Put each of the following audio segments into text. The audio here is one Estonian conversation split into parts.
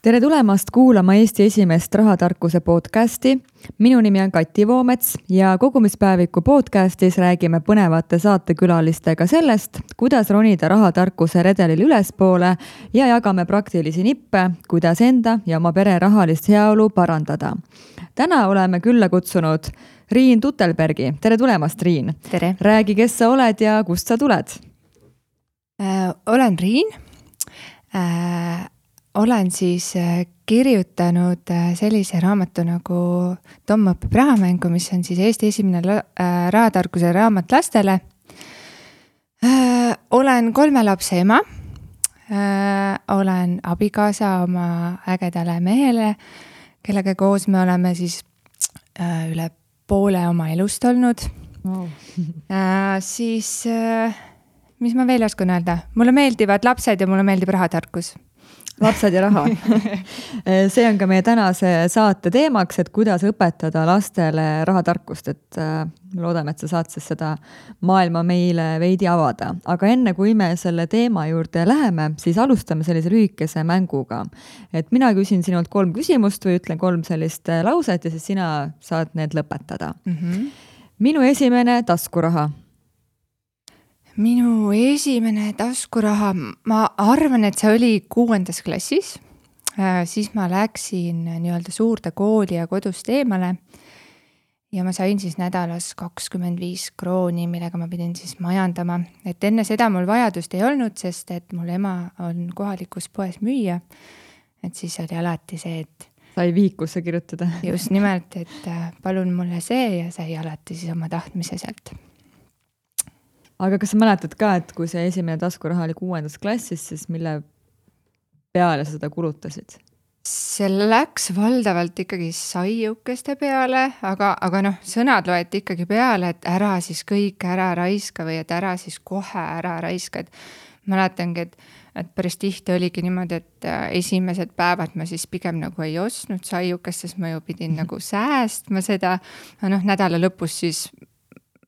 Tere tulemast kuulama Eesti esimest rahatarkuse podcasti. Minu nimi on Kati Voomets ja kogumispäeviku podcastis räägime põnevate saatekülalistega sellest, kuidas ronida rahatarkuse redelil ülespoole ja jagame praktilisi nippe, kuidas enda ja oma pere rahalist heaolu parandada. Täna oleme külla kutsunud Riin Tutelbergi. Tere tulemast, Riin. Tere. Räägi, kes sa oled ja kust sa tuled? Olen Riin. Olen siis kirjutanud sellise raamatu nagu Tom õpib rahamängu, mis on siis Eesti esimene rahatarkuse raamat lastele. Olen 3 lapse ema. Olen abikaasa oma ägedale mehele, kellega koos me oleme siis üle poole oma elust olnud. Wow. Siis, mis ma veel oskan öelda? Mulle meeldivad lapsed ja mulle meeldib rahatarkus. Lapsed ja raha. See on ka meie tänase saate teemaks, et kuidas õpetada lastele rahatarkust, et loodame, et sa saad siis seda maailma meile veidi avada. Aga enne kui me selle teema juurde läheme, siis alustame sellise lühikese mänguga. Et mina küsin sinult 3 küsimust või ütlen 3 sellist lauset ja siis sina saad need lõpetada. Minu esimene taskuraha. Minu esimene taskuraha, ma arvan, et see oli 6. klassis. Siis ma läksin nii-öelda suurde kooli ja kodust eemale ja ma sain siis nädalas 25 krooni, millega ma pidin siis majandama. Et enne seda mul vajadust ei olnud, sest et mul ema on kohalikus poes müüa. Et siis oli alati see, et sai vihikusse kirjutada. Just nimelt, et palun mulle see ja sai alati siis oma tahtmise sealt. Aga kas sa mäletad ka, et kui see esimene taskuraha oli 6. klassis, siis mille peale seda kulutasid? See läks valdavalt ikkagi saiukeste peale, aga sõnad loeti ikkagi peale, et ära siis kõik ära raiska või et ära siis kohe ära raiska. Et mäletangi, et päris tihti oligi niimoodi, et esimesed päevad ma siis pigem nagu ei ostnud saiukest, sest ma ju pidin nagu säästma seda. Nädala lõpus siis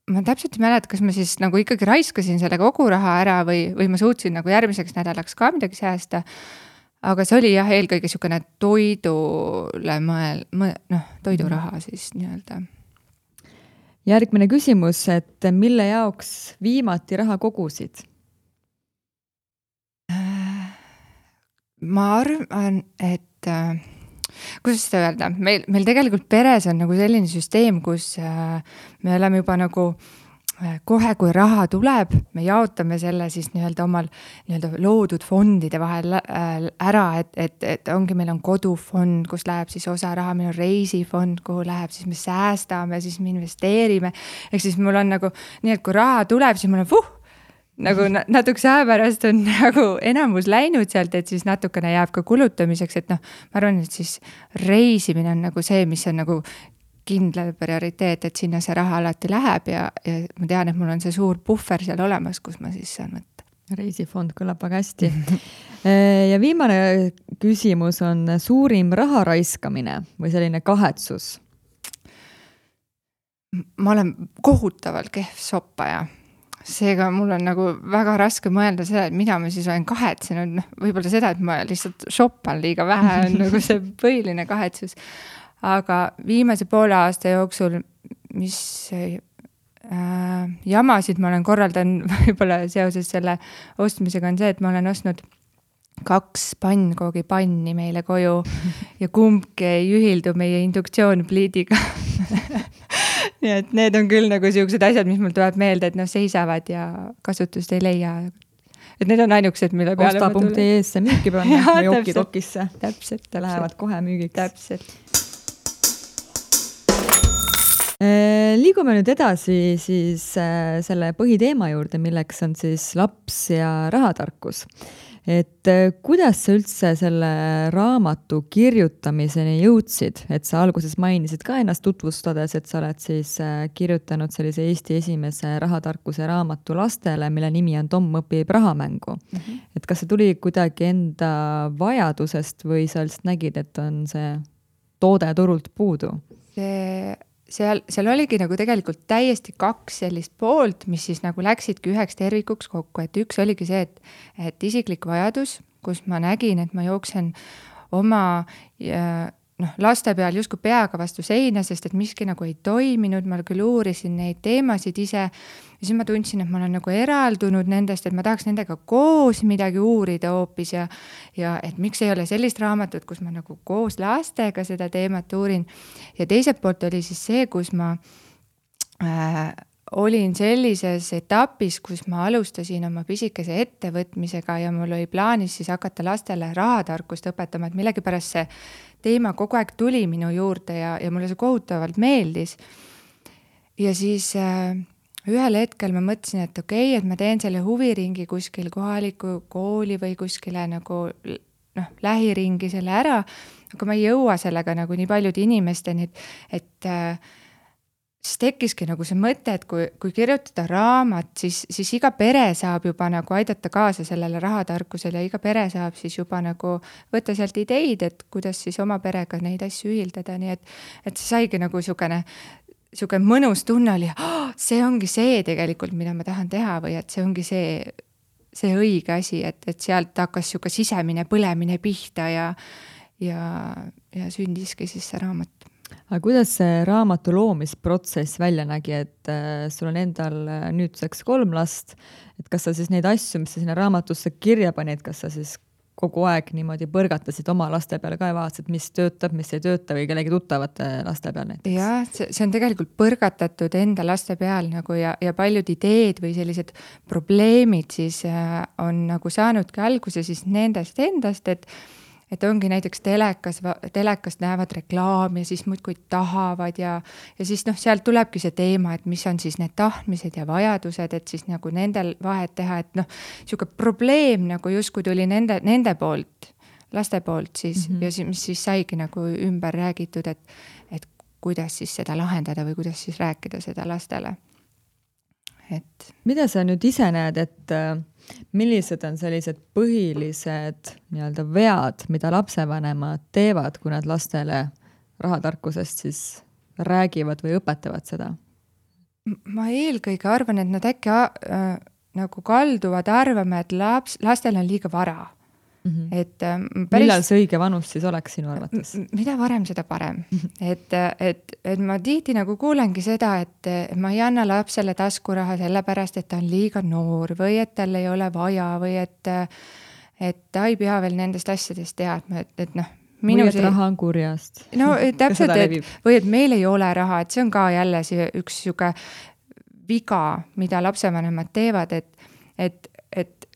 ma täpselt ei mäleta, kas ma siis nagu ikkagi raiskasin selle kogu raha ära või ma suutsin nagu järgmiseks nädalaks ka midagi säästa. Aga see oli jah, eelkõige niisugune toidule toiduraha siis nii-öelda. Järgmine küsimus, et mille jaoks viimati raha kogusid? Ma arvan, et kuidas seda öelda? Meil tegelikult peres on nagu selline süsteem, kus me oleme juba nagu kohe, kui raha tuleb, me jaotame selle siis nii-öelda omal nii-öelda loodud fondide vahel ära, et ongi, meil on kodufond, kus läheb siis osa raha, meil on reisifond, kuhu läheb, siis me säästame, siis me investeerime. Ehk siis mul on nagu nii, et kui raha tuleb, siis mul on nagu natukese aja pärast on nagu enamus läinud sealt, et siis natukene jääb ka kulutamiseks, et ma arvan, et siis reisimine on nagu see, mis on nagu kindla prioriteet, et sinna see raha alati läheb ja ma tean, et mul on see suur puhver seal olemas, kus ma siis saan võtta. Reisifond kõlab väga hästi. Ja viimane küsimus on suurim raha raiskamine või selline kahetsus? Ma olen kohutavalt kehv soppaja. Seega mul on nagu väga raske mõelda seda, et mida ma siis olen kahetsenud. Võib-olla seda, et ma lihtsalt shoppan liiga vähe on nagu see põhiline kahetsus. Aga viimase poole aasta jooksul, mis jamasid ma olen korraldanud võib-olla seoses selle ostmisega on see, et ma olen ostnud 2 pannkoogipanni meile koju ja kumbki ei ühildu meie induktsioonpliidiga. Nii et need on küll nagu siuksed asjad, mis mul tuleb meelde, et seisavad ja kasutust ei leia. Et need on ainukesed, mille peale ma tulen. Osta.ee-sse müüki panna või okidokisse. Täpselt. Lähevad kohe müügiks. Täpselt. Liigume nüüd edasi siis selle põhiteema juurde, milleks on siis laps ja rahatarkus. Et kuidas sa üldse selle raamatu kirjutamiseni jõudsid? Et sa alguses mainisid ka ennast tutvustades, et sa oled siis kirjutanud sellise Eesti esimese rahatarkuse raamatu lastele, mille nimi on Tom õpib rahamängu. Et kas see tuli kuidagi enda vajadusest või sa lihtsalt nägid, et on see toode turult puudu? Seal oligi nagu tegelikult täiesti 2 sellist poolt, mis siis nagu läksidki üheks tervikuks kokku. Et üks oligi see, et isiklik vajadus, kus ma nägin, et ma jooksen oma laste peal justkui peaga vastu seina, sest et miski nagu ei toiminud, ma küll uurisin neid teemasid ise ja siis ma tundsin, et ma olen nagu eraldunud nendest, et ma tahaks nendega koos midagi uurida hoopis ja et miks ei ole sellist raamatut, kus ma nagu koos lastega seda teemat uurin. Ja teiselt poolt oli siis see, kus ma olin sellises etapis, kus ma alustasin oma pisikese ettevõtmisega ja mul oli plaanis siis hakata lastele rahatarkust õpetama, et millegipärast see teema kogu aeg tuli minu juurde ja mulle see kohutavalt meeldis. Ja siis ühel hetkel ma mõtlesin, et okei, et ma teen selle huviringi kuskil kohaliku kooli või kuskile nagu lähiringi selle ära, aga ma ei jõua sellega nagu nii paljude inimesteni, et siis tekkiski nagu see mõte, et kui kirjutada raamat, siis iga pere saab juba nagu aidata kaasa sellele rahatarkusele ja iga pere saab siis juba nagu võtta sealt ideid, et kuidas siis oma perega neid asju ühildada, nii et see saigi nagu niisugune mõnus tunne oli, see ongi see tegelikult, mida ma tahan teha või et see ongi see õige asi, et sealt hakkas niisugune sisemine põlemine pihta ja sündiski siis see raamat. Aga kuidas see raamatu loomisprotsess välja nägi, et sul on endal nüüdseks 3 last, et kas sa siis neid asju, mis sa sinna raamatusse kirja panid, kas sa siis kogu aeg niimoodi põrgatasid oma laste peale ka ja vaatasid, mis töötab, mis ei tööta või kellegi tuttavate laste peal näiteks? Jah, see on tegelikult põrgatatud enda laste peal nagu ja paljud ideed või sellised probleemid siis on nagu saanudki alguse siis nendest endast, et ongi näiteks telekast näevad reklaami ja siis muudkui tahavad ja siis sealt tulebki see teema, et mis on siis need tahtmised ja vajadused, et siis nagu nendel vahet teha, et niisugune probleem nagu justkui tuli nende poolt, laste poolt siis ja mis siis saigi nagu ümber räägitud, et kuidas siis seda lahendada või kuidas siis rääkida seda lastele. Mida sa nüüd ise näed, et millised on sellised põhilised nii-öelda vead, mida lapsevanemad teevad, kui nad lastele rahatarkusest siis räägivad või õpetavad seda? Ma eelkõige arvan, et nad äkki nagu kalduvad arvama, et lastel on liiga vara. Et millal see õige vanus siis oleks sinu arvates? Mida varem, seda parem. Et ma tihti nagu kuulengi seda, et ma ei anna lapsele taskuraha sellepärast, et ta on liiga noor või et tal ei ole vaja või et ta ei pea veel nendest asjadest teadma, et või et raha on kurjast. No täpselt, või et meil ei ole raha, et see on ka jälle üks siuke viga, mida lapsevanemad teevad, et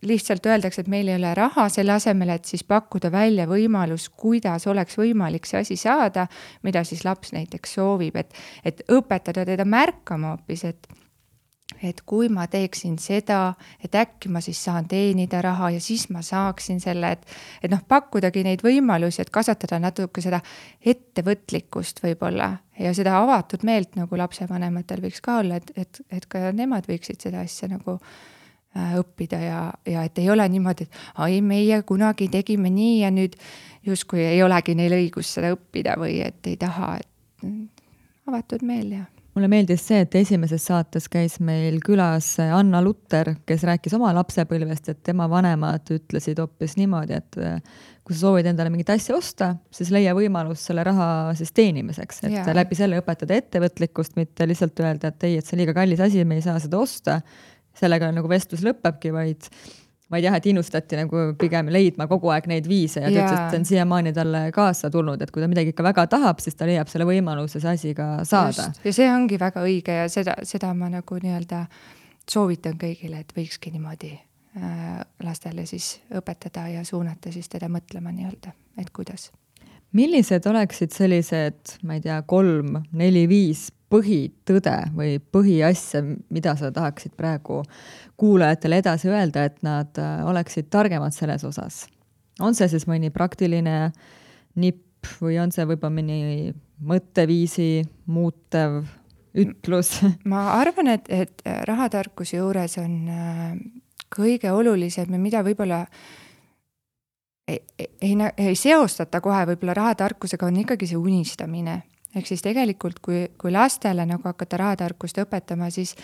lihtsalt öeldakse, et meil ei ole raha selle asemel, et siis pakkuda välja võimalus, kuidas oleks võimalik see asi saada, mida siis laps näiteks soovib, et õpetada teda märkama hoopis, et kui ma teeksin seda, et äkki ma siis saan teenida raha ja siis ma saaksin selle, et pakkudagi neid võimalusi, et kasvatada natuke seda ettevõtlikkust võib-olla ja seda avatud meelt nagu lapsevanematel võiks ka olla, et ka nemad võiksid seda asja nagu õppida ja et ei ole niimoodi, et meie kunagi tegime nii ja nüüd justkui ei olegi neil õigus seda õppida või et ei taha, et avatud meel ja. Mulle meeldis see, et esimeses saates käis meil külas Anna Lutter, kes rääkis oma lapsepõlvest, et tema vanemad ütlesid hoopis niimoodi, et kui sa soovid endale mingit asja osta, siis leia võimalus selle raha siis teenimiseks, et läbi selle õpetada ettevõtlikkust, mitte lihtsalt öelda, et ei, et see on liiga kallis asi, me ei saa seda osta. Sellega nagu vestlus lõppebki, vaid jah, et innustati nagu pigem leidma kogu aeg neid viise ja ta ütles, et on siiamaani talle kaasa tulnud, et kui ta midagi ikka väga tahab, siis ta leiab selle võimaluse see asi ka saada. Just. Ja see ongi väga õige ja seda ma nagu nii-öelda soovitan kõigile, et võikski niimoodi lastele siis õpetada ja suunata siis teda mõtlema nii-öelda, et kuidas. Millised oleksid sellised, ma ei tea, 3, 4, 5 põhitõde või põhiasja, mida sa tahaksid praegu kuulajatele edasi öelda, et nad oleksid targemad selles osas? On see siis mõni praktiline nipp või on see võib-olla mõni mõtteviisi muutev ütlus? Ma arvan, et rahatarkuse juures on kõige olulisem ja mida võib-olla ei seostata kohe võib-olla rahatarkusega, on ikkagi see unistamine. Ehk siis tegelikult, kui lastele nagu hakata rahatarkust õpetama, siis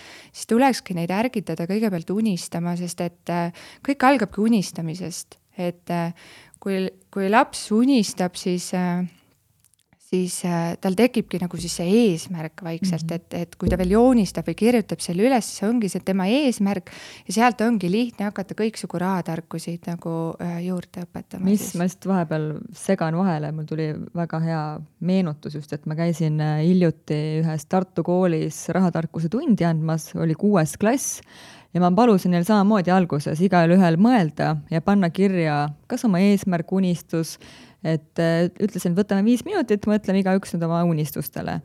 tulekski neid ärgitada kõigepealt unistama, sest et kõik algabki unistamisest. Et kui laps unistab, siis tal tekibki nagu siis see eesmärk vaikselt, et kui ta veel joonistab või kirjutab selle üles, see ongi see tema eesmärk ja sealt ongi lihtne hakata kõiksugu rahatarkusid nagu juurde õpetama. Ma just vahepeal segan vahele, mul tuli väga hea meenutus just, et ma käisin hiljuti ühes Tartu koolis rahatarkuse tundi andmas, oli 6. klass ja ma palusin neil samamoodi alguses igal ühel mõelda ja panna kirja kas oma eesmärk, unistus, et ütlesin, et võtame 5 minutit, mõtleme igaüks nüüd oma unistustele.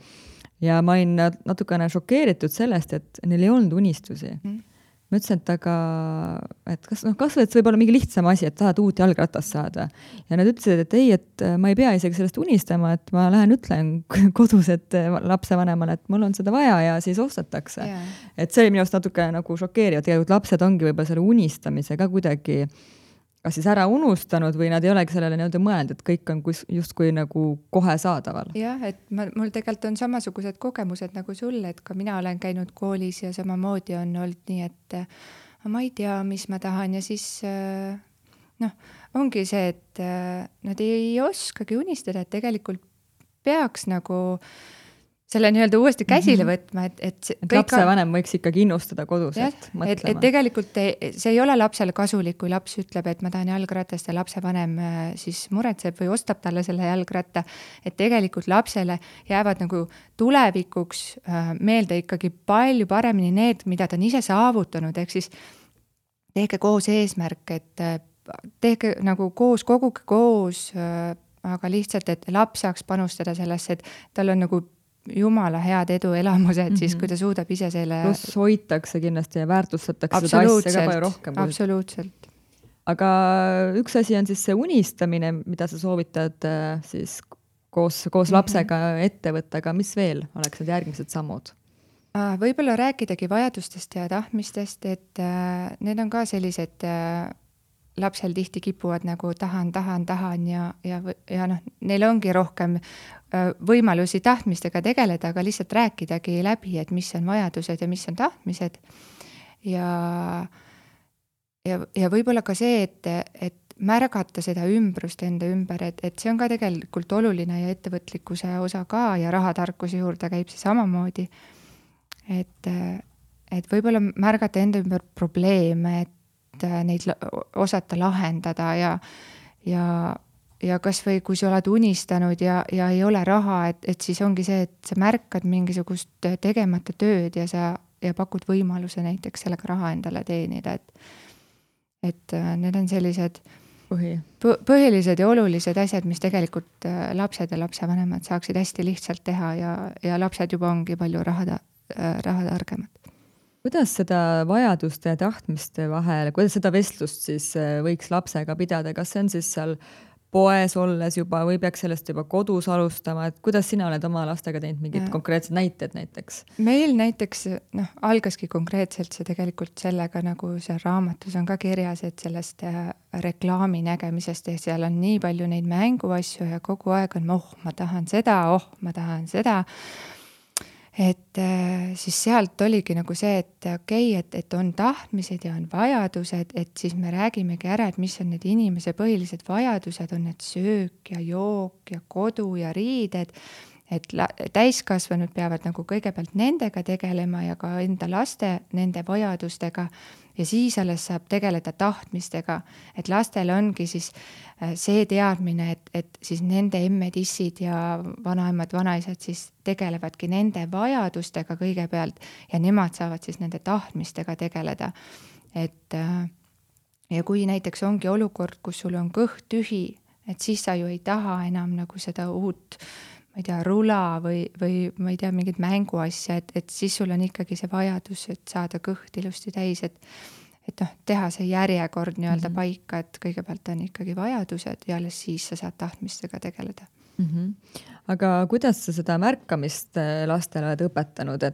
Ja ma olin natukene šokeeritud sellest, et neil ei olnud unistusi. Ma ütlesin, et kas et võib olla mingi lihtsam asi, et tahad uut jalgratast saada. Ja nad ütlesid, et ei, et ma ei pea isegi sellest unistama, et ma lähen ütlen kodus, et lapsevanemale, et mul on seda vaja ja siis ostetakse. Yeah. Et see oli minu arust natuke nagu šokeeriv, tegelikult lapsed ongi võib-olla selle unistamise ka kuidagi kas siis ära unustanud või nad ei olegi sellele nii-öelda mõelnud, et kõik on justkui nagu kohe saadaval. Jah, et mul tegelikult on samasugused kogemused nagu sulle, et ka mina olen käinud koolis ja samamoodi on olnud nii, et ma ei tea, mis ma tahan ja siis ongi see, et nad ei oskagi unistada, et tegelikult peaks nagu selle nii-öelda uuesti käsile võtma, et lapsevanem võiks ikkagi innustada kodus, et mõtlema. Et tegelikult see ei ole lapsele kasulik, kui laps ütleb, et ma tahan jalgratast ja lapsevanem siis muretseb või ostab talle selle jalgratta, et tegelikult lapsele jäävad nagu tulevikuks meelde ikkagi palju paremini need, mida ta on ise saavutanud, ehk siis tehke koos eesmärk, et tehke nagu koos, koguge koos, aga lihtsalt, et laps saaks panustada sellesse, et tal on nagu jumala head edu elamused, siis kui ta suudab ise selle... Pluss hoitakse kindlasti ja väärtustatakse seda asja ka palju rohkem. Absoluutselt. Aga üks asi on siis see unistamine, mida sa soovitad siis koos lapsega ette võtta, aga mis veel oleks need järgmised sammud? Võib-olla rääkidagi vajadustest ja tahtmistest, et need on ka sellised... lapsel tihti kipuvad nagu tahan ja neil ongi rohkem võimalusi tahtmistega tegeleda, aga lihtsalt rääkidagi läbi, et mis on vajadused ja mis on tahtmised. Ja võib-olla ka see, et märgata seda ümbrust enda ümber, et see on ka tegelikult oluline ja ettevõtlikkuse osa ka ja rahatarkuse juurde käib see samamoodi. Et võib-olla märgata enda ümber probleeme, et neid osata lahendada ja kas või kui sa oled unistanud ja ei ole raha, et siis ongi see, et sa märkad mingisugust tegemata tööd ja pakud võimaluse näiteks sellega raha endale teenida, et need on sellised põhilised ja olulised asjad, mis tegelikult lapsed ja lapsevanemad saaksid hästi lihtsalt teha ja lapsed juba ongi palju rahatargemad. Kuidas seda vajaduste ja tahtmiste vahel, kuidas seda vestlust siis võiks lapsega pidada, kas see on siis seal poes olles juba või peaks sellest juba kodus alustama, et kuidas sina oled oma lastega teinud mingid konkreetsed näited näiteks? Meil näiteks algaski konkreetselt see tegelikult sellega, nagu seal raamatus on ka kirjas, et sellest reklaami nägemisest ja seal on nii palju neid mänguasju ja kogu aeg on ma tahan seda, et siis sealt oligi nagu see, et okei, et on tahtmised ja on vajadused, et siis me räägimegi ära, et mis on need inimese põhilised vajadused, on need söök ja jook ja kodu ja riided, et täiskasvanud peavad nagu kõigepealt nendega tegelema ja ka enda laste nende vajadustega ja siis alles saab tegeleda tahtmistega, et lastel ongi siis see teadmine, et siis nende emme-tissid ja vanaemad, vanaisad siis tegelevadki nende vajadustega kõigepealt ja nemad saavad siis nende tahtmistega tegeleda. Ja kui näiteks ongi olukord, kus sul on kõht tühi, et siis sa ju ei taha enam nagu seda uut ma ei tea, rula või ma ei tea, mingid mänguasja, et siis sul on ikkagi see vajadus, et saada kõht ilusti täis, et teha see järjekord nii-öelda paika, et kõigepealt on ikkagi vajadused ja alles siis sa saad tahtmistega tegeleda. Aga kuidas sa seda märkamist lastele oled õpetanud,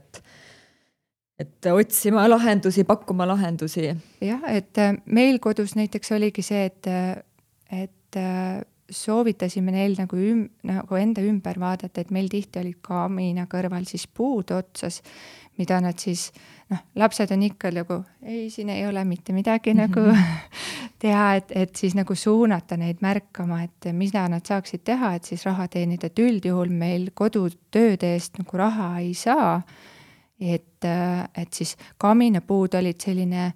et otsima lahendusi, pakkuma lahendusi? Jah, et meil kodus näiteks oligi see, et soovitasime neil nagu enda ümber vaadata, et meil tihti olid kamina kõrval siis puud otsas, mida nad siis, lapsed on ikka nagu, ei, siin ei ole mitte midagi nagu teha, et siis nagu suunata neid märkama, et mida nad saaksid teha, et siis raha teenida, et üldjuhul meil kodutööde eest nagu raha ei saa. Et siis kaminapuud olid selline,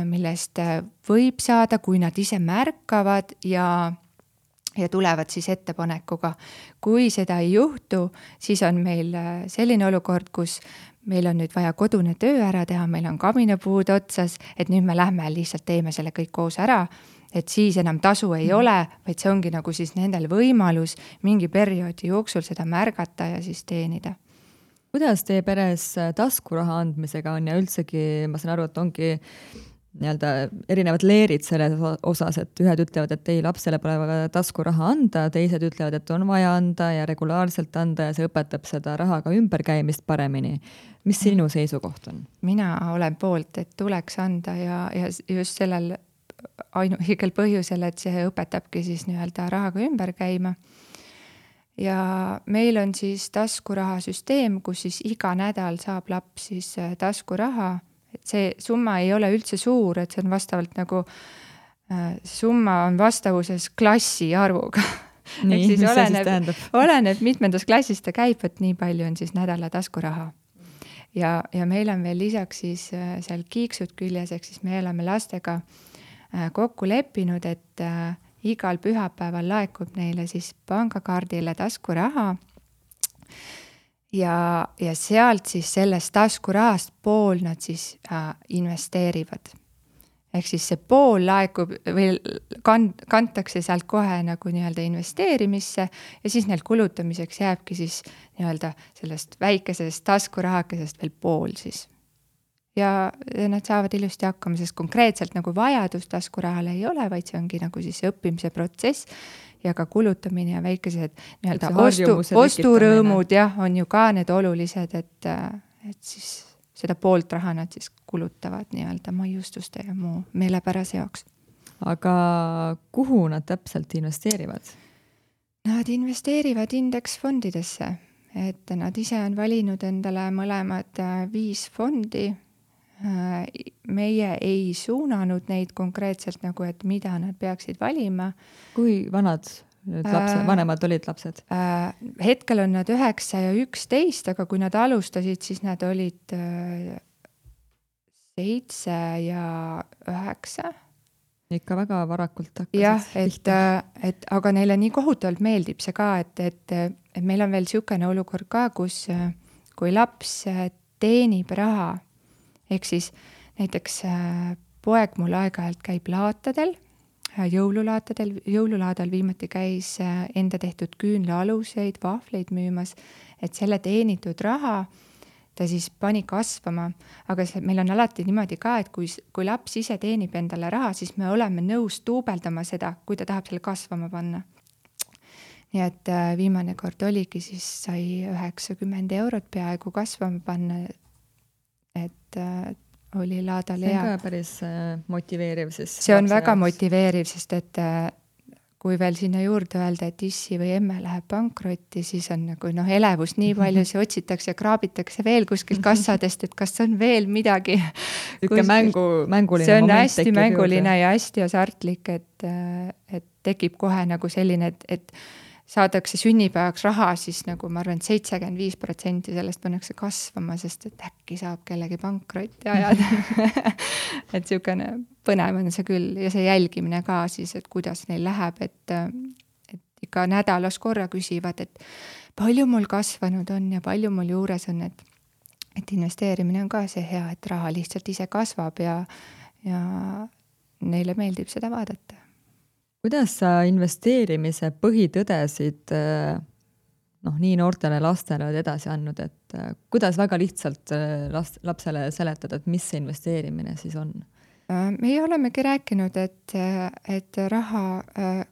millest võib saada, kui nad ise märkavad ja tulevad siis ettepanekuga. Kui seda ei juhtu, siis on meil selline olukord, kus meil on nüüd vaja kodune töö ära teha, meil on kaminapuud otsas, et nüüd me lähme lihtsalt teeme selle kõik koos ära, et siis enam tasu ei ole, vaid see ongi nagu siis nendel võimalus mingi perioodi jooksul seda märgata ja siis teenida. Kuidas teie peres taskuraha andmisega on ja üldsegi, ma saan aru, et ongi nii-öelda erinevad leerid selles osas, et ühed ütlevad, et ei, lapsele pole vaja taskuraha anda, teised ütlevad, et on vaja anda ja regulaarselt anda ja see õpetab seda rahaga ümberkäimist paremini. Mis sinu seisukoht on? Mina olen poolt, et tuleks anda ja just sellel ainuõigel põhjusel, et see õpetabki siis nii-öelda rahaga ümber käima. Ja meil on siis taskurahasüsteem, kus siis iga nädal saab laps siis taskuraha. Et see summa ei ole üldse suur, et see on vastavalt nagu, summa on vastavuses klassi arvuga. Nii, siis mis oleneb mitmendas klassis ta käib, et nii palju on siis nädala taskuraha. Ja meil on veel lisaks siis seal kiiksud küljes, ehk siis me oleme lastega kokku leppinud, et igal pühapäeval laekub neile siis pangakaardile taskuraha ja sealt siis sellest taskurahast pool nad siis investeerivad. Ehk siis see pool laekub või kantakse sealt kohe nagu nii-öelda investeerimisse ja siis neil kulutamiseks jääbki siis nii-öelda sellest väikesest taskurahakesest veel pool siis. Ja nad saavad ilusti hakkama, sest konkreetselt nagu vajadus taskurahale ei ole, vaid see ongi nagu siis õppimise protsess ja ka kulutamine ja väikesed nii-öelda osturõõmud on ju ka need olulised, et siis seda poolt raha nad siis kulutavad nii-öelda maiustuste ja muu meelepärase jaoks. Aga kuhu nad täpselt investeerivad? Nad investeerivad indeksfondidesse, et nad ise on valinud endale mõlemad 5 fondi. Meie ei suunanud neid konkreetselt nagu, et mida nad peaksid valima. Kui vanad lapsed, vanemad olid lapsed? Hetkel on nad 9 ja 11, aga kui nad alustasid, siis nad olid 7 ja 9. Ikka väga varakult hakkasid. Jah, et aga neile nii kohutavalt meeldib see ka, et meil on veel niisugune olukord ka, kus kui laps teenib raha, ehk siis näiteks poeg mul aeg-ajalt käib laatadel, jõululaadal viimati käis enda tehtud küünlaaluseid, vahvleid müümas, et selle teenitud raha ta siis pani kasvama, aga meil on alati niimoodi ka, et kui laps ise teenib endale raha, siis me oleme nõus tuubeldama seda, kui ta tahab selle kasvama panna. Nii et viimane kord oligi, siis sai 90 eurot peaaegu kasvama panna, et oli laadal hea. See on ka päris motiveeriv. See on väga motiveeriv, sest et kui veel sinna juurde öelda, et issi või emme läheb pankrotti, siis on nagu elevus nii palju, see otsitakse ja kraabitakse veel kuskil kassadest, et kas on veel midagi. Mänguline moment. See on hästi mänguline ja hästi asartlik, et tekib kohe nagu selline, et saadakse sünnipäevaks raha, siis nagu ma arvan, 75% sellest pannakse kasvama, sest et äkki saab kellegi pankrotti ajada. Et niisugune põnev on see küll ja see jälgimine ka siis, et kuidas neil läheb, et ikka nädalas korra küsivad, et palju mul kasvanud on ja palju mul juures on, et investeerimine on ka see hea, et raha lihtsalt ise kasvab ja neile meeldib seda vaadata. Kuidas sa investeerimise põhitõdesid nii noortele lastele oled edasi andnud, et kuidas väga lihtsalt lapsele seletada, et mis see investeerimine siis on? Meie olemegi rääkinud, et raha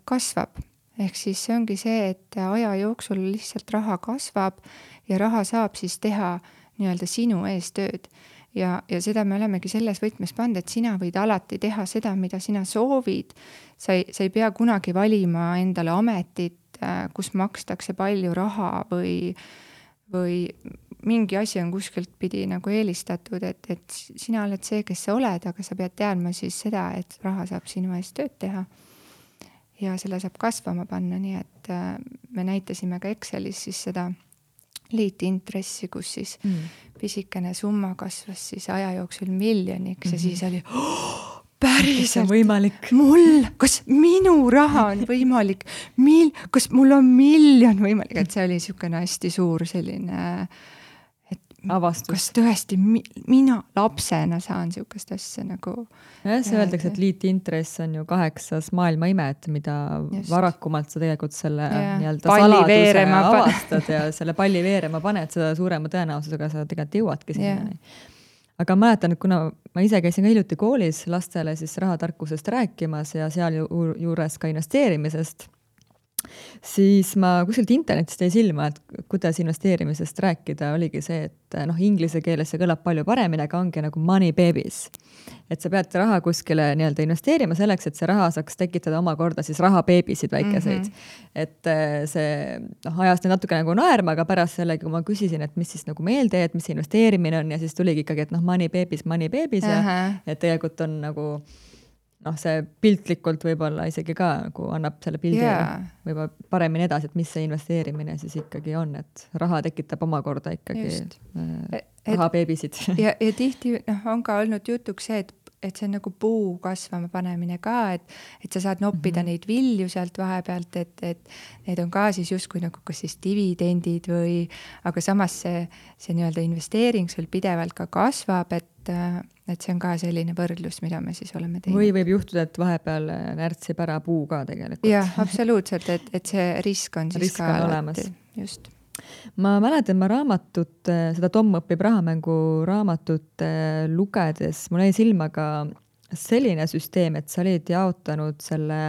kasvab. Ehk siis see ongi see, et aja jooksul lihtsalt raha kasvab ja raha saab siis teha nii-öelda sinu ees tööd. ja seda me olemegi selles võtmes pannud, et sina võid alati teha seda, mida sina soovid. Sa ei pea kunagi valima endale ametit, kus makstakse palju raha või mingi asi on kuskilt pidi nagu eelistatud, et sina oled see, kes sa oled, aga sa pead teadma siis seda, et raha saab sinu eest tööd teha. Ja selle saab kasvama panna, nii et me näitasime ka Excelis siis seda liitintressi, kus siis pisikene summa kasvas siis aja jooksul miljoniks ja siis oli päriselt võimalik. Kas minu raha on võimalik, kas mul on miljon võimalik, et see oli niisugune hästi suur selline avastus. Kas tõesti mina lapsena saan niisugust asja nagu... Ja, see öeldakse, et liitintress on ju 8. maailma imet, mida varakumalt sa tegelikult selle saladuse avastad ja selle palli veerema paned, seda suurema tõenäosusega sa tegelikult jõuadki sinna. Aga mäletan, et kuna ma ise käisin ka hiljuti koolis lastele siis rahatarkusest rääkimas ja seal juures ka investeerimisest, siis ma kuskilt internetist jäi silma, et kuidas investeerimisest rääkida, oligi see, et inglise keeles see kõlab palju paremini, aga ongi nagu money babies. Et sa pead raha kuskile nii-öelda investeerima selleks, et see raha saaks tekitada omakorda siis rahabeebisid väikeseid. Et see ajas natuke nagu naerma, aga pärast sellegi, kui ma küsisin, et mis siis nagu meelde, et mis investeerimine on ja siis tuligi ikkagi, et money babies ja et tegelikult on nagu see piltlikult võib-olla isegi ka nagu annab selle pildi võib-olla paremini edasi, et mis see investeerimine siis ikkagi on, et raha tekitab omakorda ikkagi rahabeebisid. Ja tihti on ka olnud jutuks see, et see on nagu puu kasvama panemine ka, et sa saad noppida neid vilju sealt vahepealt, et need on ka siis justkui nagu kas siis dividendid või, aga samas see nii-öelda investeering sul pidevalt ka kasvab, et see on ka selline võrdlus, mida me siis oleme teinud. Või võib juhtuda, et vahepeal närtsib ära puu ka tegelikult. Jah, absoluutselt, et see risk on siis risk ka olemas. Just. Ma mäletan, ma raamatut, seda Tom õpib rahamängu raamatut lugedes, mul jäi silma ka selline süsteem, et sa olid jaotanud selle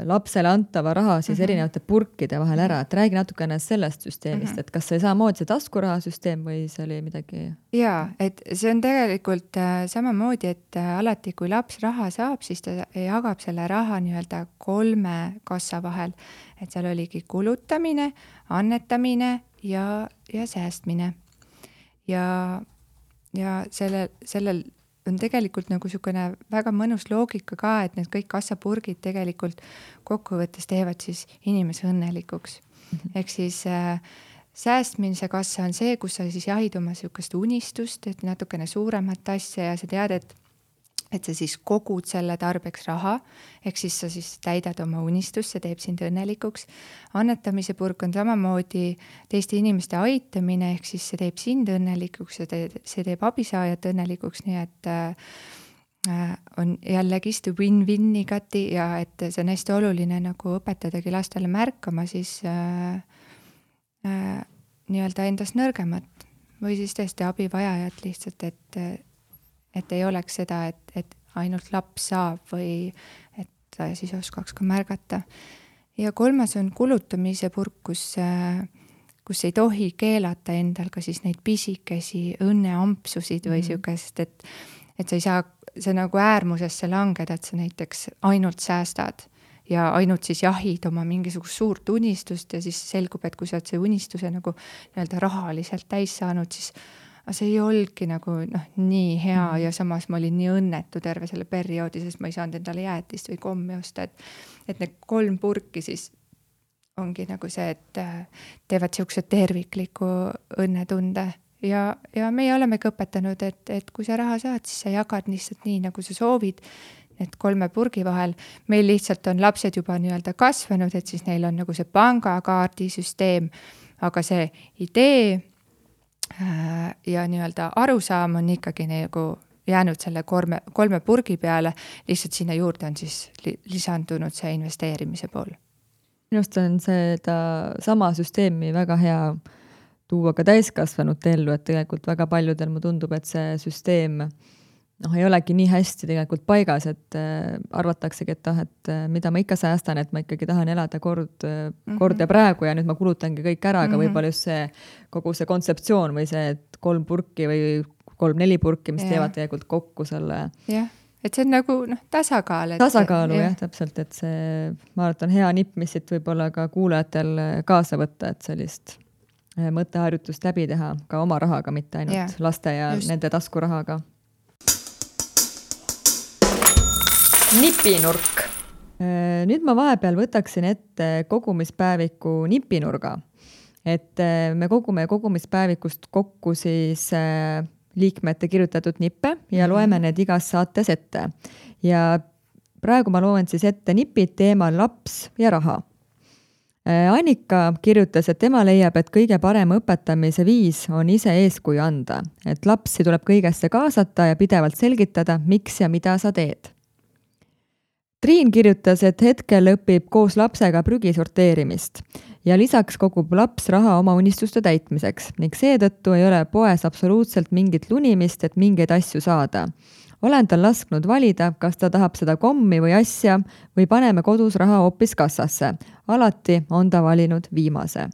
lapsele antava raha siis erinevate purkide vahel ära, et räägi natukene sellest süsteemist, et kas see samamoodi see taskurahasüsteem või see oli midagi? Jaa, et see on tegelikult samamoodi, et alati kui laps raha saab, siis ta jagab selle raha nii-öelda 3 kassa vahel, et seal oligi kulutamine, annetamine ja säästmine. Ja sellel on tegelikult nagu niisugune väga mõnus loogika ka, et need kõik kassapurgid tegelikult kokkuvõttes teevad siis inimese õnnelikuks. Ehk siis säästmise kassa on see, kus sa siis jahid oma niisugust unistust, et natukene suuremat asja ja sa tead, et sa siis kogud selle tarbeks raha, ehk siis sa siis täidad oma unistust, see teeb sind õnnelikuks. Annetamise purk on samamoodi teiste inimeste aitamine, ehk siis see teeb sind õnnelikuks, see teeb abisaajat õnnelikuks, nii et on jällegi win-win igati ja et see on hästi oluline nagu õpetadagi lastele märkama siis nii-öelda endast nõrgemat või siis tõesti abivajajat lihtsalt, et ei oleks seda, et ainult laps saab või et ta siis oskaks ka märgata. Ja 3. on kulutamise purk, kus ei tohi keelata endal ka siis neid pisikesi õnneampsusid või siukest, et sa ei saa, see nagu äärmusesse langeda, et sa näiteks ainult säästad ja ainult siis jahid oma mingisugust suurt unistust ja siis selgub, et kui sa oled see unistuse nagu nii-öelda rahaliselt täis saanud, siis see ei olnudki nagu nii hea ja samas ma olin nii õnnetu terve selle perioodi, sest ma ei saanud endale jäätist või kommi osta, et need 3 purki siis ongi nagu see, et teevad siukse tervikliku õnnetunde ja meie olemegi õpetanud, et kui sa raha saad, siis sa jagad lihtsalt nii, nagu sa soovid, need 3 purgi vahel. Meil lihtsalt on lapsed juba nii-öelda kasvanud, et siis neil on nagu see pangakaardisüsteem, aga see idee ja nii-öelda arusaam on ikkagi nagu jäänud selle 3 purgi peale, lihtsalt sinna juurde on siis lisandunud see investeerimise pool. Minust on seda sama süsteemi väga hea tuua ka täiskasvanute ellu, et tegelikult väga paljudel mu tundub, et see süsteem ei olegi nii hästi tegelikult paigas, et arvataksegi, et mida ma ikka säästan, et ma ikkagi tahan elada kord ja praegu ja nüüd ma kulutangi kõik ära, aga võib-olla just see kogu see kontseptsioon või see, et 3 purki või 3-4 purki, mis teevad tegelikult kokku selle. Jah, et see on nagu tasakaal. Tasakaalu, jah, täpselt, et see, ma arvan, hea nipp, mis siit võib-olla ka kuulajatel kaasa võtta, et sellist mõtteharjutust läbi teha ka oma rahaga, mitte ainult laste ja nende taskurahaga. Nipinurk. Nüüd ma vahepeal võtaksin ette kogumispäeviku nipinurga. Et me kogume kogumispäevikust kokku siis liikmete kirjutatud nippe ja loeme need igas saates ette. Ja praegu ma loen siis ette nipid teemal laps ja raha. Annika kirjutas, et tema leiab, et kõige parem õpetamise viis on ise eeskuju anda. Et lapsi tuleb kõigesse kaasata ja pidevalt selgitada, miks ja mida sa teed. Triin kirjutas, et hetkel õpib koos lapsega prügi sorteerimist ja lisaks kogub laps raha oma unistuste täitmiseks ning seetõttu ei ole poes absoluutselt mingit lunimist, et mingeid asju saada. Olen tal lasknud valida, kas ta tahab seda kommi või asja või paneme kodus raha hoopis kassasse. Alati on ta valinud viimase.